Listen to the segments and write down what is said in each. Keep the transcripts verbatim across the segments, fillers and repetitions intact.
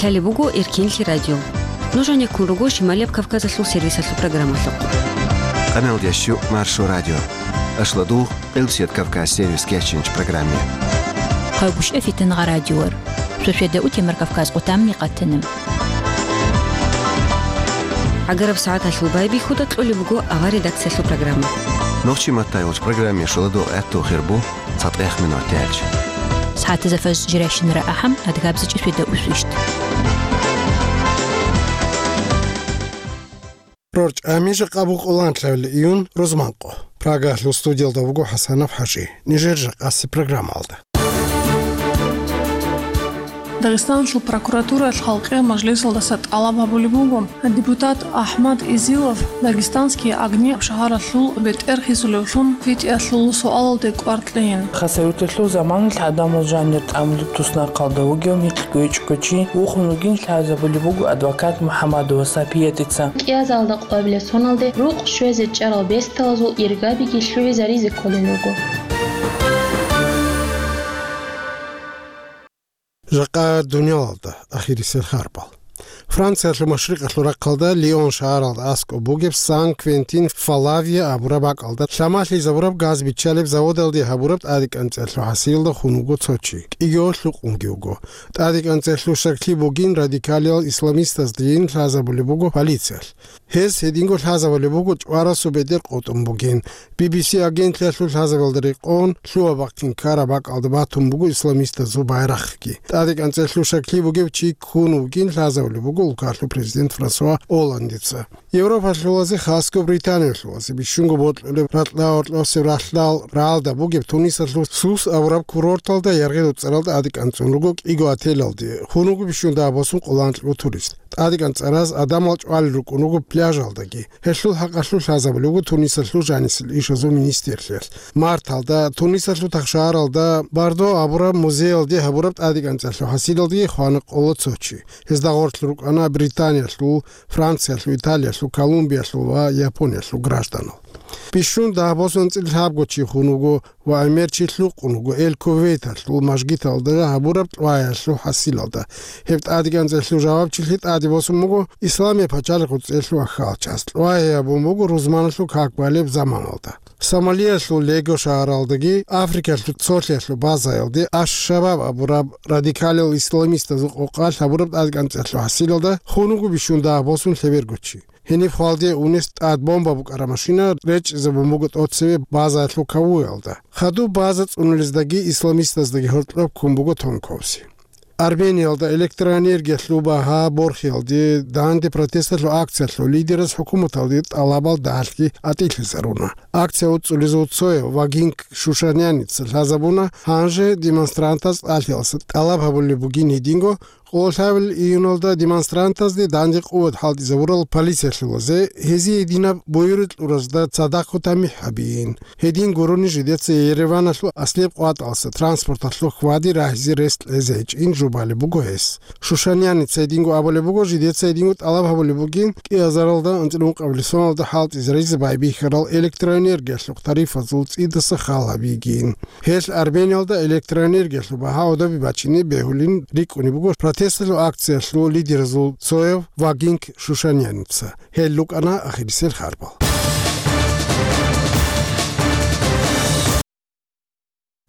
Лъалеб буго Эркинлъи радио. Нуж гьанеккун руго Шималияб Кавказалъул сервисалъул программалъухъ. Къамел ящу Маршо радио. Ашладугъ Къилсият Кавказ сервис кечинч программе. Къайгуш эфитан гъа радиор. Шошеда утемар Кавказ къутамни къатана. ГӀагараб сагӀаталъул байбихьуда кьолеб буго авар редакциялъул программа. Нохчи маттай вуч программе шуладугъ гӀатту хирбу. ЦатӀех минут тяч. СагӀатазда фаз жирайщинара ахӀам, адгабзичӀи сведа усвищт. РорчӀами жакъа букъуланлъавил июн рузманкъо. Прагалъул студиялда вуго ХӀасанов ХӀажи. Нижер жакъаси программалда. Дагъистанлъул прокуратуралъ халкъиял мажлисалдаса тӀалаб гьабулеб буго, депутат АхӀмад Изилов «Дагестанские огни» шагьаралъул бетӀер хисулевлъун питӀиялъул суалалде кӀвар кьейин. Хасавюрталъул заманалъ гӀадамал жанир тӀамулеб туснахъалда вугев микьго-ичӀго чи вухун вугин лъазабулеб буго адвокат МухӀамадова Сапиятица. КӀиазалда къвабилеб соналде рукъ щвезе чӀарал бесталазул иргабиги лъугӀизаризе кколел руго. Жакъа дуниялалда ахирисел харбал. Франциялъул машрикъалъул рахъалда Лион шагьаралда аскӀоб бугеб Сан-Квентин-Фалавия абураб бакӀалда лъамалъизабураб газ биччалеб заводалде гьабураб тӀадекӀанцӀелъул хӀасилалда хун вуго цо чи, кӀиго лъукъунги вуго. ТӀадекӀанцӀелъул щаклъи бугин радикалиял исламистаздайин лъазабулеб буго полициялъ. Гьез гьединго лъазабулеб буго чӀварасул бетӀер къотӀун бугин. Би-би-си агентлъиялъул лъазабиялда рекъон лъугьа-бахъин ккараб бакӀалда батун буго исламистазул байрахъги. ТӀадекӀанцӀелъул щаклъи бугев чи ккун вугин лъазабулеб буго улкалъул президент Франсуа Олландица. Европалъулазе хасго Британиялъулазе бищунго бокьулеб ракьа-гьоркьосеб ралъдал рагӀалда бугеб Тунисалъул Сус абураб курорталда яргъи-дуцӀаралда тӀадекӀанцӀун руго кӀиго отелалде. Хун вуго бищун дагьаб босун къоло анкьго турист. ТӀадекӀанцӀараз гӀадамал чӀвалел рукӀун руго пляжалдаги. Гьелъул хӀакъалъулъ лъазабулеб буго Тунисалъул жанисел ишазул министрлъиялъ. Марталда Тунисалъул тахшагьаралда Бардо абураб музеялде гьабураб тӀадекӀанцӀелъул хӀасилалдаги хвана къоло цо чи. Гьезда гъорлъ рукӀана Британиялъул, Франциялъул, Италиялъул, Колумбиялъул ва Япониялъул гражданал. Бищун дагьаб босун анцӀила лъабго чи хун вуго ва гӀемер чи лъукъун вуго Эл-Кувейталъул мажгиталда гьабураб тӀваялъул хӀасилалда. Гьеб тӀадекӀанцӀелъул жавабчилъи тӀаде босун буго Исламияб пачалихъ цӀелъул ахьалчас. ТӀвай гьабун буго рузманалъул как балеб заманалда. Сомалиялъул Лего шагьаралдаги Африкалъул цолъиялъул базаялде Аш-Шабаб абураб радикалиял исламистазул къокъалъ гьабураб тӀадекӀанцӀелъул хӀасилалда хун вуго бищун дагьаб босун лъеберго чи. Гьениб хвалде унес тӀад бомба букӀараб машина речӀчӀизабун буго тӀоцебе базаялъул кавуялда. Хадуб база цӀунулездаги исламистаздаги гьоркьоб ккун буго тонковси. Армениялда электроэнергиялъул багьа борхиялде данде протесталъул акциялъул лидераз хӀукуматалде тӀалабал дагьалъги атӀилъизаруна. Акция уцӀцӀулезул цояв Вагинг Шушаняница лъазабуна, гьанже демонстрантаз тӀалъиялъа тӀалаб гьабулеб бугин гьединго, къоло лъабабилеб июналда демонстрантазде данде къуват хӀалтӀизабурал полициялъулазе гьезие гьединаб буюркьуразда цадахъ тамихӀ гьабиин. Гьедин гурони жидеца Ереваналъул аслияб къватӀалъа транспорталъул хьвади рагьизе рес кьезе гьечӀин жубалеб буго гьес. Шушаняница гьединго абулеб буго, жидеца гьединго тӀалаб гьабулеб бугин, кӀиазаралда анцӀила ункъабилеб соналда хӀалтӀизаризе байбихьарал электроэнергиялъухъ тарифазул цӀидаса хал гьабигин. Гьелъ Армениялда электроэнергиялъул багьа гӀодобе бачине бегьулин рикӀкӀунеб буго протесталъул акциялъул лидеразул цояв Вагинг Шушаняница. Гьел рукӀана ахирисел харбал.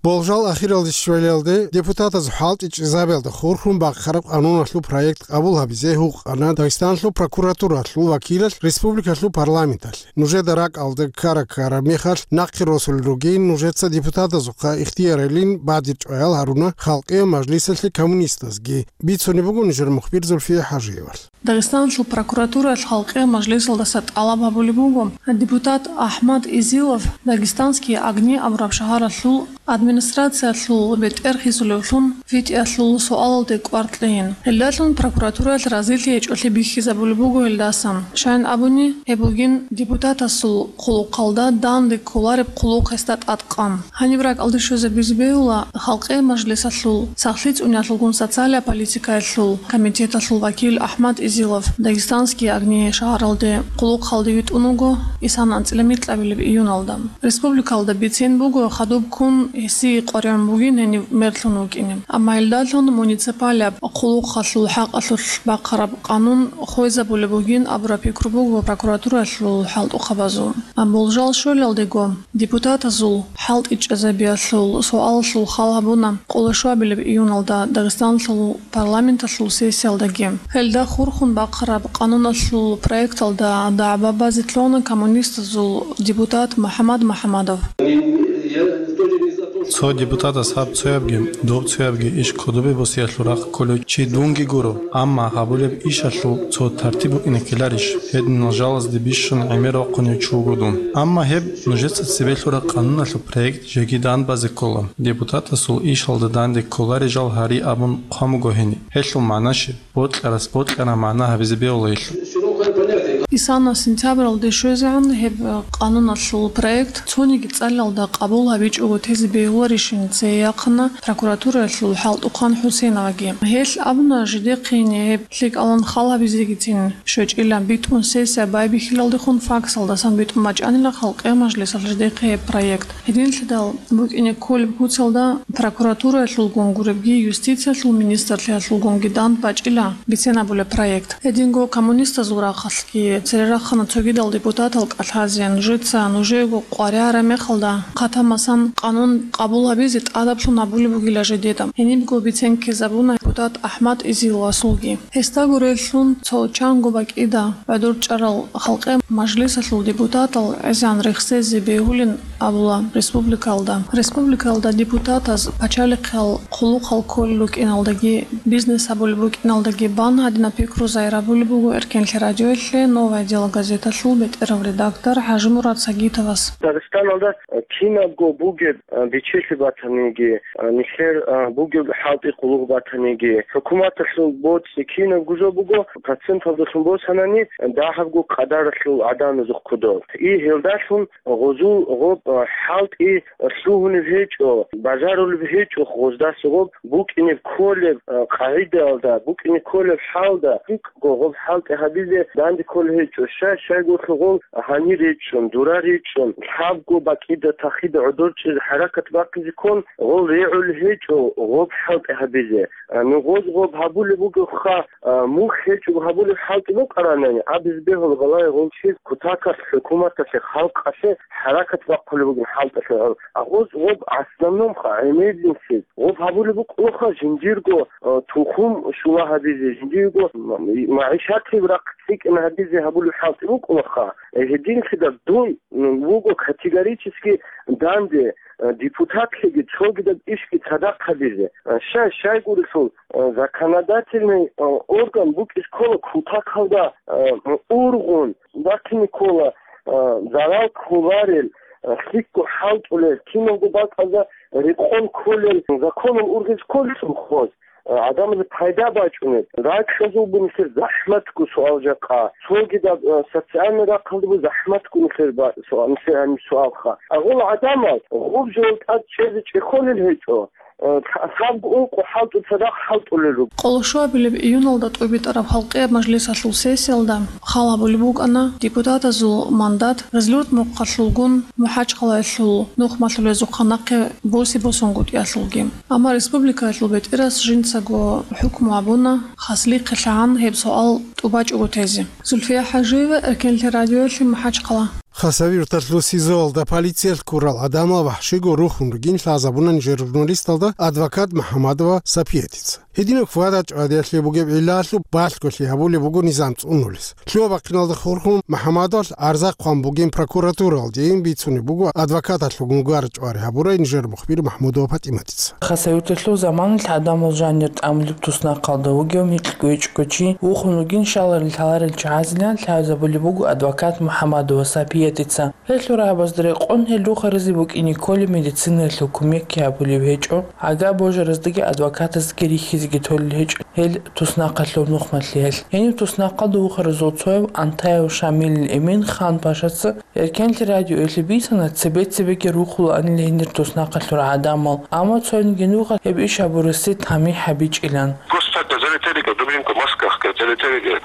Болжал ахиралде щвелалде депутатаз хӀалтӀичӀезабиялда хурхун бахъараб къануналъул проект къабул гьабизе гьукъана Дагъистанлъул прокуратуралъул вакилалъ республикалъул парламенталъ. Нужеда ракӀалда ккара-ккара мехалъ нахъе росулел ругин нужеца депутатазухъа ихтияралин бадиб чӀваял гьаруна халкъиял мажлисалъе коммунистазги. Бицунеб буго нижер мухбир Зульфия ХӀажиевалъ. Дагъистанлъул прокуратуралъ халкъиял мажлисалдаса тӀалаб гьабулеб буго, депутат АхӀмад Изилов «Дагестанские огни» абураб шагьаралъул администрациялъул бетӀер хисулевлъун питӀиялъул суалалде кӀвар кьейин. Гьелдалъун прокуратуралъ разилъи гьечӀолъи бихьизабулеб буго гьелдасан. Щайин абуни, гьеб бугин депутатасул хъулухъалда данде кколареб хъулухъ гьесда тӀадкъан. Гьаниб ракӀалде щвезабизе бегьула Халкъи мажлисалъул сахлъи цӀуниялъулгун социалия политикаялъул комитеталъул вакил АхӀмад Изилов «Дагестанские огни» шагьаралде хъулухъалде витӀун вуго исан анцӀила микьабилеб июналда. Республикалда бицен буго хадуб ккун гьесие къваригӀун бугин гьенив мерлъун вукӀине. Амма гьелдалъун муниципалияб хъулухъалъул хӀакъалъулъ бахъараб къанун хвезабулеб бугин абураб пикру буго прокуратуралъул хӀалтӀухъабазул. Амма болжал щвелалдего депутатазул хӀалтӀичӀезабиялъул суалалъул хал гьабуна къолошуабилеб июналда Дагъистаналъул парламенталъул сессиялдаги. Гьелда хурхун бахъараб къануналъул проекталда дагӀба базе лъугьана коммунистазул депутат МухӀаммад МухӀаммадов. Цо депутатас гьаб цоябги, доб цоябги иш кодобе босиялъул рахъ кколев чи дунги гуро, амма гьабулеб ишалъул цо тартиб букӀине ккеларищ? Гьединал жалазде бищун гӀемер вахъунев чи вуго дун. Амма гьеб нужеца цебе лъураб къануналъул проект жеги дандбазе ккола. Депутатасул ишалда данде кколарей жал гьари абун хъван буго гьениб. Гьелъул магӀна щиб? Бокьарас бокьараб магӀна гьабизе бегьула гьелъул. Исана сентябралде щвезегӀан гьеб къануналъул проект цониги цӀалалда къабул гьабичӀого тезе бегьуларищин цее яхъана прокуратураялъул хӀалтӀухъан ХӀусейноваги. Гьелъ абуна жидехъе гьеб лъикӀалан хал гьабизегицин щвечӀила битӀун сессия байбихьилалдехун факсалдасан битӀун бачӀанила халкъиял мажлисалъ жидехъе гьеб проект. Гьединлъидал букӀине кколеб куцалда прокуратураялъулгун гуребги, юстициялъул министрлъиялъулгунги дандбачӀила бицен абулеб проект. Гьединго коммунистазул рахъалъги цере рахъана цогидал депутатал кӀалъазе, нужеца нужеего къваригӀараб мехалда, хъатамасан къанун къабул гьабизе тӀадаблъун гьабулеб бугила жидеда. Гьенибго бицен ккезабуна депутат АхӀмад Изиловасулги. Гьесда гуреллъун цо чанго бакӀида гӀодор чӀарал халкъе мажлисалъул депутатал гӀезегӀан рехсезе бегьулин абула республикалда. Республикалда депутатаз пачалихъал хъулухъал кколел рукӀиналдаги, бизнес гьабулеб букӀиналдаги бан гьадинаб пикру загьир гьабулеб буго Эркенлъи радиоялъе «Новое дело» газеталъул бетӀерав редактор ХӀажимурад Сагитовас. Дагъистаналда кинабго бугеб бичелъи батаниги, нилъер бугеб хӀалтӀи къуллукъ батаниги, хӀукуматалъул боцӀи кинабго жо буго, проценталдалъун босанани, дагьабго къадаралъул гӀадамазухъ кодоб. И гьелдалъун гъозул гъоб хӀалтӀи лъугьунеб гьечӀо, бажарулеб гьечӀо гъоздаса гъоб букӀине кколеб къагӀидаялда, букӀине кколеб хӀалда, гьикъго гъоб хӀалтӀи гьабизе данде кколеб гьечӀо, щай-щайгурелъул гъол гьанир речӀчӀун, дура речӀчӀун, лъабго бакӀида тахида гӀодор чӀезе хӀаракат бахъизе ккун, гъол регӀулеб гьечӀо гъоб хӀалтӀи гьабизе. А, ну, гъоз гъоб гьабулеб бугебха, а, мухь гьечӀого гьабулеб хӀалтӀи букӀаранани, абизе бегьула балагье гъол чияс кутакалъ, хӀукуматалъе, халкъалъе хӀаракат бахъулеб бугеб хӀалтӀалъе гьаб. А гъоз гъоб основномха, гӀемерисез гъоб гьабулеб букӀулаха жиндирго, а, тухум щула гьабизе, жиндирго м-, магӀишатияб рахъ цӀикӀкӀина гьабизе гьабулеб хӀалтӀи букӀулаха. Э, гьединлъидал дун, м, вуго категорически данде, э, депутатлъиги цогидаб ишги цадахъ гьабизе. Э, щай, щайгурелъул, э, законодательный, э, орган букӀиз ккола кутакалда, э, ургъун, бахъине ккола, э, зарал кколарел, э, лъикӀго хӀалтӀулел, киналго бакӀалда рекъон кколел, законал ургъизе кколелъул гъоз. Э, гӀадамазе пайда бачӀунеб. Ракьазул бугеб нилъер захӀматго суал жакъа. Цогидаб, э, социальный рахъалда бугеб захӀматго нилъер ба-, суал, нилъер гьаниб суалха. Агъула гӀадамал гъуб жо тӀад чӀезе чӀехолел гьечӀо. Э, лъа-, лъабго ункъо хӀалтӀу цадахъ хӀалтӀулел руго. Къолошуабилеб июналда тӀубитӀараб халкъияб мажлисалъул сессиялда хал гьабулеб букӀана депутатазул мандат Разлёт мухъалъулгун МухӀачхъалаялъул нухмалъулезухъа нахъе босе-босунгутӀиялъулги. Амма республикаялъул бетӀерас жинцаго хӀукму гьабуна, хаслихъе лъагӀан гьеб суал тӀубачӀого тезе. Зульфия ХӀажиева, Эркенлъи радиоялъе, МухӀачхъала. Хасавюрталъул СИЗОалда полициялъ ккурал гӀадамал вахӀшиго рухун ругин лъазабуна нижер журналисталда адвокат МухӀаммадова Сапиятица. Гьединаб хьвада-чӀвадиялъе бугеб гӀиллалъуб балъголъи гьабулеб буго низам цӀунулес. Лъугьа-бахъиналда хурхун МухӀаммадовалъ гӀарза хъван бугин прокуратуралде, ин бицунеб буго адвокаталъулгун гар-чӀвари гьабурай нижер мухбир МахӀмудова ПатӀиматица. Хасавюрталъул заманалъ гӀадамал жанир тӀамулеб туснахъалда вугев микьгойчӀого чи вухун вугин щаларел лъаларел чагӀазилан лъазабулеб буго адвокат МухӀаммадова Сапиятица. Гьелъул рагӀабазда рекъон гьел рухаризе букӀине кколеб медицинаялъул кумекги гьабулеб гьечӀо, гӀага божараздаги адвокатаздаги рихьизеги толел гьечӀо гьел туснахъалъул нухмалъиялъ. Гьениб туснахъалда вухаразул цояв Антаев Шамилил Эмин Хан-Пашаца Эркенлъи радиоялъе бицана, цебе-цебеги рухулаанила гьенир туснахъалъул гӀадамал, амма цониги нуха гьеб иш гьабурасе тамихӀ гьабичӀилан. Просто так залетели, говорит, в дубленку, в масках, говорит, залетели, говорит.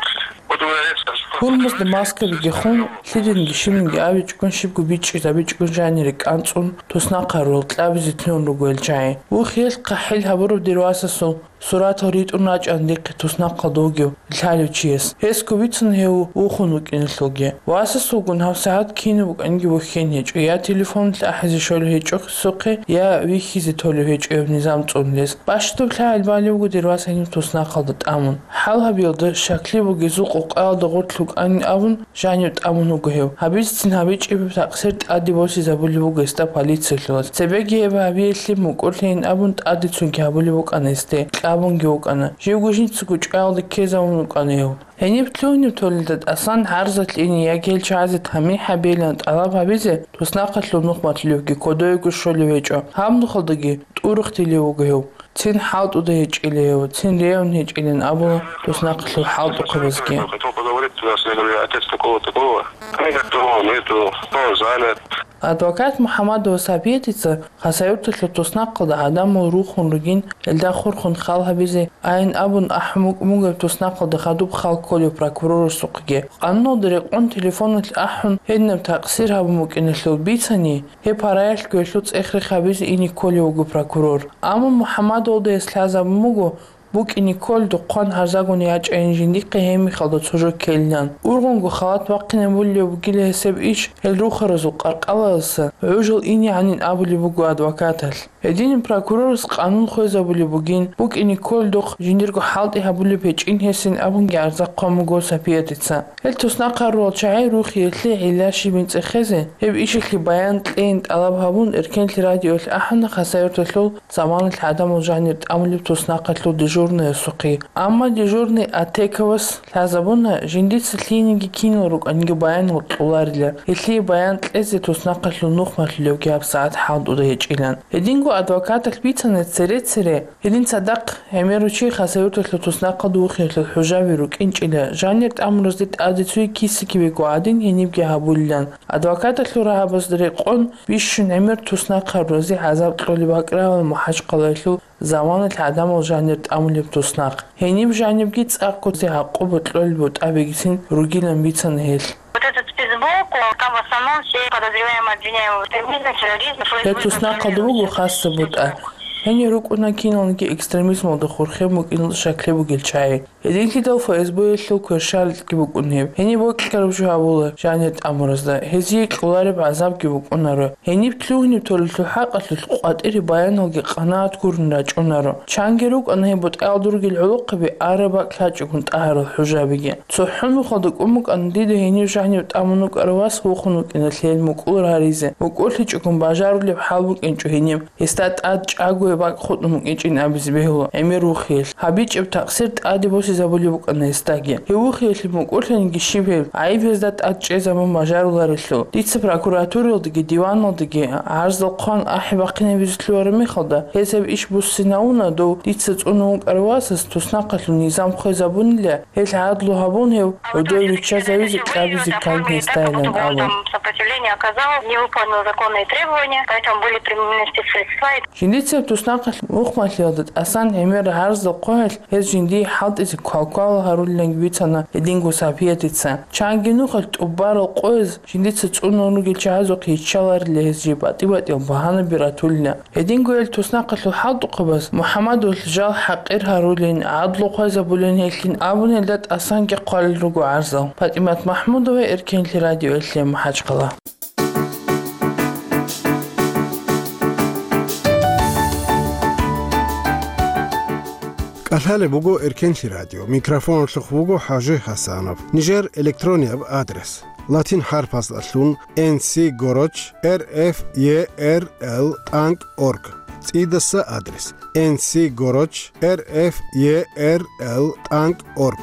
Вот у меня есть Гьурмузда маскабиги хун, лъиданиги щибниги абичӀогун, щибго бичӀчӀизабичӀогун жанире кӀанцӀун, туснахъ гьарурал кьабизе лъугьун руго гьел чагӀи. Вухиялъ хъахӀил гьабураб дир васасул суратал ритӀун рачӀана дихъе туснахъалда вугев лъалев чияс. Гьесго бицун гьев вухун вукӀиналъулги. Васасулгун гьабсагӀат кинаб букӀаниги бухьен гьечӀо, я телефоналъ ахӀизе щолев гьечӀо гьесухъе, я вихьизе толев гьечӀо гьеб низам цӀунулес. Бащдаб лъагӀел балев вуго дир вас гьениб туснахъалда тӀамун. ХӀал гьабиялда щаклъи бугезул къокъаялда гъорлъ вукӀанин абун, жанив тӀамун вуго гьев. Гьабицин гьабичӀеб такъсир тӀаде босизабулеб буго гьесда полициялъулаз. Цебеги гьеб гьабиялъе мукӀурлъейин абун тӀаде цоги гьабулеб букӀана гьесде, кьабунги вукӀана. Живго жинцаго чӀваялда ккезавун вукӀана гьев. Гьениб лъугьунеб толелда тӀасан гӀарзалъ ине яги гьел чагӀазе тамихӀ гьабейилан тӀалаб гьабизе туснахъалъул нухмалъулевги кодоего щолев гьечӀо. Гьаб нухалдаги тӀурухдилев вуго гьев. Цин хӀалтӀуда гьечӀила гьев, цин регӀун гьечӀилан абула туснахъалъул хӀалтӀухъабазги. Хотел поговорить, у нас, я говорю, отец такого-такого. Они говорят, что он нету, что он занят. Адвокат МухӀаммадова Сапиятица Хасавюрталъул туснахъалда гӀадамал рухун ругин, гьелда хурхун хал гьабизе айин абун ахӀун букӀун буго гьеб туснахъалда хадуб хал кколев прокурорасухъеги. Къануналда рекъон телефоналъ ахӀун, гьединаб такъсир гьабун букӀиналъул бицани, гьеб параялъго гьелъул цӀех-рех гьабизе ине кколев вуго прокурор. Амма МухӀаммадовалда гьес лъазабун буго, букӀине кколдухъ хъван гьарзагун ячӀайин жиндихъе гьеб мехалда цо жо ккелилан. Ургъунго халат бахъинабулеб бугила гьесеб иш, гьел рухаразул къаркъалаялдаса гӀужал ине гӀанин абулеб буго адвокаталъ. Гьединаб прокурорас къанун хвезабулеб бугин, букӀине кколдухъ жиндирго хӀалтӀи гьабулеб гьечӀин гьесин абунги гӀарза хъван буго Сапиятица. Гьел туснахъ гьарурал чагӀи рухиялъе гӀилла щибин цӀехезе, гьеб ишалъе баян кьейин тӀалаб гьабун, Эркенлъи радиоялъ ахӀана Хасавюрталъул заманалъ гӀадамал жанир тӀамулеб туснахъалъул дежурныясухъе. Амма дежурный Атековас лъазабуна, жиндица лъиениги кинал рукӀаниги баянал кьоларила, гьелъие баян кьезе туснахъалъул нухмалъулевги гьабсагӀат хӀалтӀуда гьечӀилан. Гьединго адвокаталъ бицана цере-цере, гьедин цадахъ гӀемерав чи Хасавюрталъул туснахъалда вухиялъул хӀужаби рукӀинчӀила, жанир тӀамуразде тӀаде цоги киса-кибего гӀадин гьенибги гьабулилан. Адвокаталъул рагьабазда рекъон бищун гӀемер туснахъ гьаруразе гӀазаб кьолеб бакӀ равал МахӀачхъалаялъул заманалъ гӀадамал жанир тӀамулеб туснахъ. Гьениб жанибги цӀакъго гӀакъуба кьолеб бутӀа бегицин ругилан бицана гьелъ. Вот этот спецблок, он там в основном все подозреваемые, обвиняемые в экстремизме, терроризме. Гьеб туснахъалда буго хасаб бутӀа. Гьенир рукӀуна киналниги экстремизмалда хурхен букӀиналда щаклъи бугел чагӀи. Гьединлъидал ФСБ-ялъул кверщаликьги букӀун гьеб. Гьениб бокьараб жо гьабула жанир тӀамуразда, гьезие кьолареб гӀазабги букӀунаро. Гьениб лъугьунеб толелъул хӀакъалъулъ къватӀире баяналги къанагӀат гурун рачӀунаро. Чанги рукӀана гьеб бутӀаялда ругел гӀолохъаби араб бакӀ лъачӀогун тӀагьарал хӀужабиги. ЦохӀо нухалда кӀун букӀана дида гьенив жанив тӀамун вукӀарав вас вухун вукӀиналъе гьел мукӀур гьаризе. МукӀурлъичӀогун бажарулеб хӀал букӀинчӀо гьениб. Гьесда тӀад чӀагояб бакӀ хутӀун букӀинчӀин абизе бегьула гӀемер вухиялъ. ГьабичӀеб такъсир тӀаде босизабулеб букӀана гьесдаги. Гьев вухиялъе мукӀурлъаниги щиб гьеб, гӀайиб гьезда тӀад чӀезабун бажаруларелъул. Дица прокуратуралдаги диваналдаги гӀарзал хъван ахӀи бахъинабизе лъугьараб мехалда, гьез гьеб иш буссинавуна дов дица цӀунун вукӀарав васас туснахъалъул низам хвезабунила, гьелъ гӀадлу гьабун гьев гьудов виччазавизе кьабизе ккан гьесдайилан абун. Сопротивление оказал, не выполнил законные требования, поэтому были применены спецсредства. Жиндицаб туснахъалъ мухъмалъиялда тӀасан гӀемер гӀарзал хъваялъ гьез жиндие хӀалтӀизе квалквал гьарулиланги бицана гьединго Сапиятица. Чанги нухалъ тӀубарал къояз жиндица цӀунун ругел чагӀазухъе йиччаларила гьез жиб, батӀи-батӀиял багьанаби ратулила. Гьединго гьел туснахъалъул хӀалтӀухъабаз МухӀаммадовалъ жал хӀакъир гьарулин, гӀадлу хвезабулин гьелъин абун гьелда тӀасанги хъвалел руго гӀарзал. ПатӀимат МахӀмудова, Эркенлъи радиоялъе, МахӀачхъала. КӀалъалеб буго Эркенлъи радио. Микрофоналъухъ вуго ХӀажи ХӀасанов. Нижер электронияб адрес: латин хӀарпаздалъун N C гороч R F E R L тӀанкӀ орг. ЦӀидаса адрес: N C гороч R F E R L тӀанкӀ орг.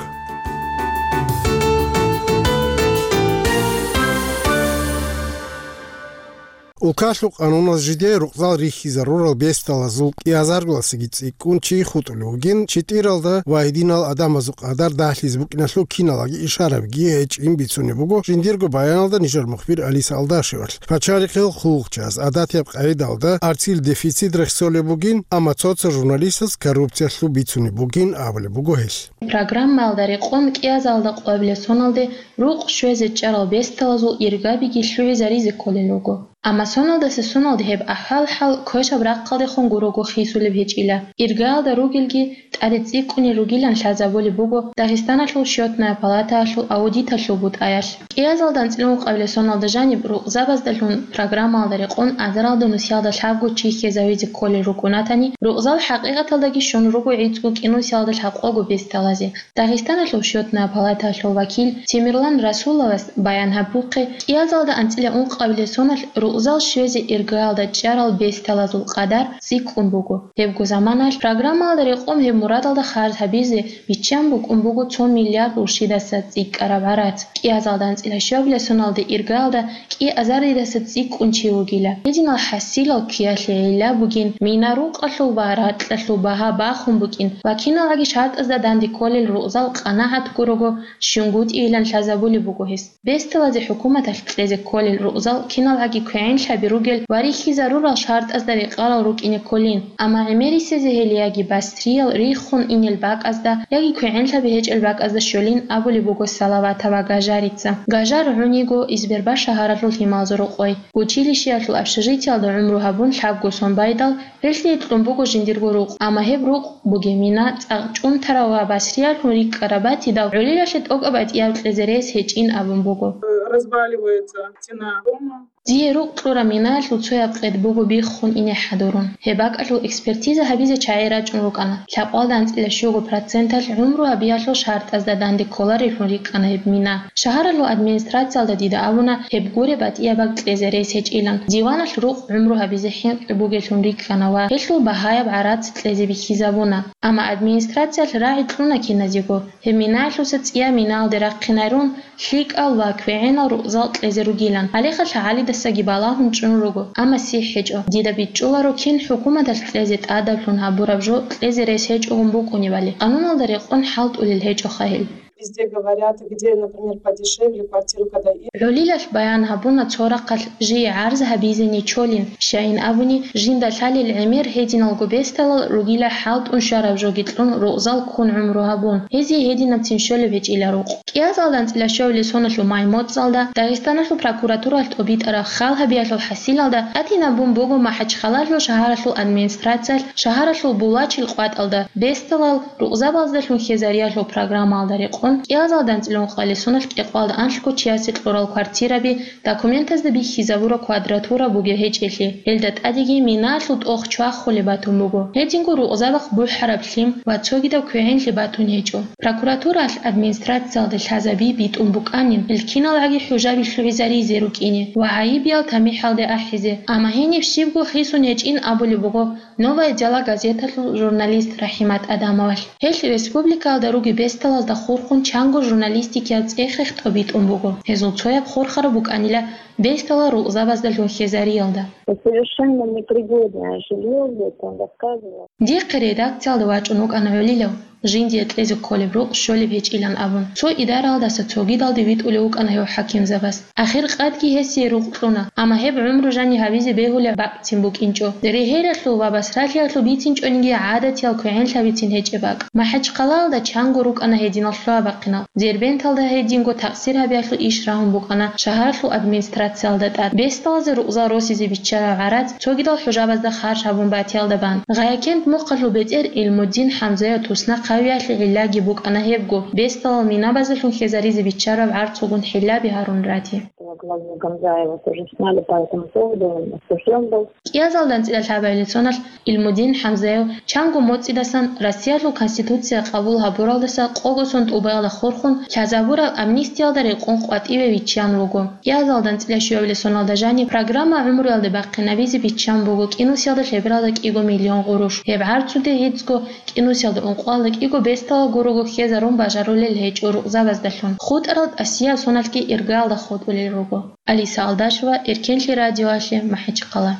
Улкалъул къануналъ жидее рукъзал рихьизарурал бесдалазул кӀиазаргуласаги цӀикӀкӀун чи хутӀулев вугин, читӀиралда ва гьединал адамазул къадар дагьлъизе букӀиналъул киналги ишарабги гьечӀин бицунеб буго жиндирго баяналда нижер мухбир Алиса Алдашевалъ. Пачалихъил хъулухъчияс гӀадатияб къагӀидалда арцил дефицит рехсолеб бугин, амма цо-цо журналистаз коррупциялъул бицунеб бугин абулеб буго гьелъ. Программаялда рекъон кӀиазалда къоабилеб соналде рукъ щвезе чӀарал бесдалазул иргабиги лъугӀизаризе кколел руго. Амма соналдаса соналде гьеб ахӀвал-хӀал квешаб рахъалдехун гурого хисулеб гьечӀила. Иргаялда ругелги тӀаде цӀикӀкӀунел ругилан лъазабулеб буго Дагъистаналъул счётная палатаялъул аудиталъул бутӀаялъ. КӀиазалда анцӀила ункъабилеб соналда жаниб рукъзабаздалъун программаялда рекъон азаралда нусиялда лъабго чи хьезавизе кколел рукӀунатани, рукъзал хӀакъикъаталдаги щун руго гӀицӀго кӀинусиялда лъабкъого бесдалазе. Дагъистаналъул счётная палатаялъул вакил Темирлан Расуловас баян гьабухъе, кӀиазалда анцӀила ункъабилеб соналъ рукъзал щвезе иргаялда чӀарал бесдалазул къадар цӀикӀкӀун буго. Гьебго заманалъ программаялда рекъон гьеб мурадалда харж гьабизе биччан букӀун буго цо миллиард уршидаса цӀикӀкӀараб гӀарац. КӀиазалда анцӀила щуабилеб соналде иргаялда кӀиазаридаса цӀикӀкӀун чи вугила. Гьединал хӀасилал ккеялъе гӀилла бугин, мина рукъалъул ва ракьалъул багьа бахун букӀин ва киналгӀаги шартӀазда данде кколел рукъзал къанагӀат гурого щунгутӀийилан лъазабулеб буго гьес. Бесдалазе хӀукуматалъ кьезе кколел рукъзал киналгӀаги квегӀенлъаби ругел ва рихьизарурал шартӀазда рекъарал рукӀине кколин, амма гӀемерисезе гьел яги басриял риххун инел бакӀазда, яги квегӀенлъаби гьечӀел бакӀазда щолин абулеб буго Салаватова Гажарица. Гажар гӀуниго Избербаш шагьаралъул Лъималзорокъой. Училищеялъул общежитиялда гӀумру гьабун лъабго сон байдал, гьелъие кьун буго жиндирго рукъ, амма гьеб рукъ бугеб мина цӀакъ чӀунтарав ва басриялъун рикӀкӀараб батидал, гӀолилалъе тӀокӀаб батӀияб кьезе рес гьечӀин абун буго. Разваливается стена дома. Дие рукъ кьураб минаялъул цояб къед буго биххун ине хӀадурун. Гьеб бакӀалъул экспертиза гьабизе чагӀи рачӀун рукӀана. Лъабкъоялда анцӀила щуго проценталъ гӀумру гьабиялъул шартӀазда данде кколаревлъун рикӀкӀана гьеб мина. Шагьаралъул администрациялда дида абуна, гьеб гуреб батӀияб бакӀ кьезе рес гьечӀилан. Диваналъ рукъ гӀумру гьабизе хӀинкъи бугеллъун рикӀкӀана ва гьелъул багьаяб гӀарац кьезе бихьизабуна. Амма администрациялъ рагӀи кьуна киназего, гьеб минаялъуса цӀияб минаялде рахъинайрун, лъикӀал ва квегӀенал рукъзал кьезе ругилан. Гьалеха лъагӀалидасаги балагьун чӀун руго, амма сихӀ гьечӀо. Дида бичӀчӀуларо кин хӀукуматалъ кьезе тӀадаблъун гьабураб жо кьезе рес гьечӀогун букӀунебали. Къануналда рекъон хӀалтӀулел гьечӀоха гьел. Везде говорят, где, например, подешевле квартиру, когда и ГӀолилалъ баян гьабуна цо рахъалъ жие гӀарз гьабизе нечолин, щайин абуни, жинда лъалел гӀемер гьединалго бесдалал ругила хӀалтӀун щвараб жоги кьун рукъзал ккун гӀумру гьабун, гьезие гьединабцин щолеб гьечӀила рукъ. КӀиазалда анцӀила щуабилеб соналъул май моцӀалда Дагъистаналъул прокуратуралъ тӀобитӀараб хал гьабиялъул хӀасилалда тӀадинабун буго МахӀачхъалалъул шагьаралъул администрациялъ шагьаралъул Булачил къватӀалда бесдалал рукъзабаздалъун хьезариялъул программаялда рекъон кӀиазалда анцӀила ункъабилеб соналъ кӀикъоялда анлъго чиясе кьурал квартираби, документазда бихьизабураб квадратура бугеб гьечӀелъи, гьелда тӀадеги минаялъул тӀох чвахулеб батун буго. Гьединго рукъзабахъ бухӀараб лъим ва цогидаб квегӀенлъи батун гьечӀо. Прокуратураялъ администрациялде лъазаби битӀун букӀанин, гьел киналгӀаги хӀужаби лъугӀизаризе рукӀине ва гӀайибиял тамихӀалде ахӀизе, амма гьениб щибго хисун гьечӀин абулеб буго «Новое дело» газеталъул журналист РахӀимат Адамовалъ. Гьелъ республикаялда ругеб бесдалазда хурхун чанго журналистикиял цӀех-рех тӀобитӀун буго. Гьезул цояб хурхараб букӀанила бесдалал рукъзабаздалъун хьезариялда. Совершенно непригодное жилье, вот он рассказывал. Дихъе редакциялда вачӀун вукӀана гӀолилав, жиндие кьезе кколеб рукъ щолеб гьечӀилан абун. Цо идаралдаса цогидалде витӀулев вукӀана гьев хӀакимзабаз. Ахир къадги гьесие рукъ кьуна, амма гьеб гӀумру жани гьабизе бегьулеб бакӀцин букӀинчӀо. Регьелалъул ва басралъиялъул бицинчӀониги гӀадатиял квегӀенлъабицин гьечӀеб бакӀ. МахӀачхъалалда чанго рукӀана гьединал лъугьа-бахъинал. Дербенталда гьединго такъсир гьабиялъул иш рагьун букӀана шагьаралъул администрациялда тӀад. Бесдалазе рукъзал росизе биччараб гӀарац цогидал хӀужабазда харж гьабун батиялда бан. Гъаякент мухъалъул бетӀер Илмудин ХӀамзаев туснахъ гьавиялъе гӀиллаги букӀана гьебго, бесдалал минабазелъун хьезаризе биччараб гӀарцугун хӀилаби гьарун рати. Главу Гамзаева тоже сняли по этому поводу, он осуждён был. КӀиазалда анцӀила лъабабилеб соналъ Илмудин ХӀамзаев чанго моцӀидасан Россиялъул Конституция къабул гьабуралдаса къого сон тӀубаялда хурхун лъазабураб амнистиялда рекъон къватӀиве виччан вуго. КӀиазалда анцӀила щуабилеб соналда жаниб программа гӀумруялде бахъинабизе биччан буго кӀинусиялда лъебералда кӀиго миллион гъурущ. Гьеб гӀарцуде гьецӀго кӀинусиялда ункъоялда кӀиго бесдалал гурого хьезарун бажарулел гьечӀо рукъзабаздалъун. ХутӀарал тӀасияб соналъги иргаялда хутӀулел руго. Алиса Алдашева, Эркенлъи радиоялъе, МахӀичхъала.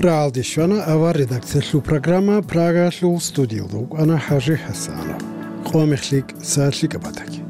РагӀалде щвана авар редакциялъул программа, Прагаялъул студиялда вукӀана ХӀажи ХӀасанов. Къо мехлъи, са лъикӀаб батаги.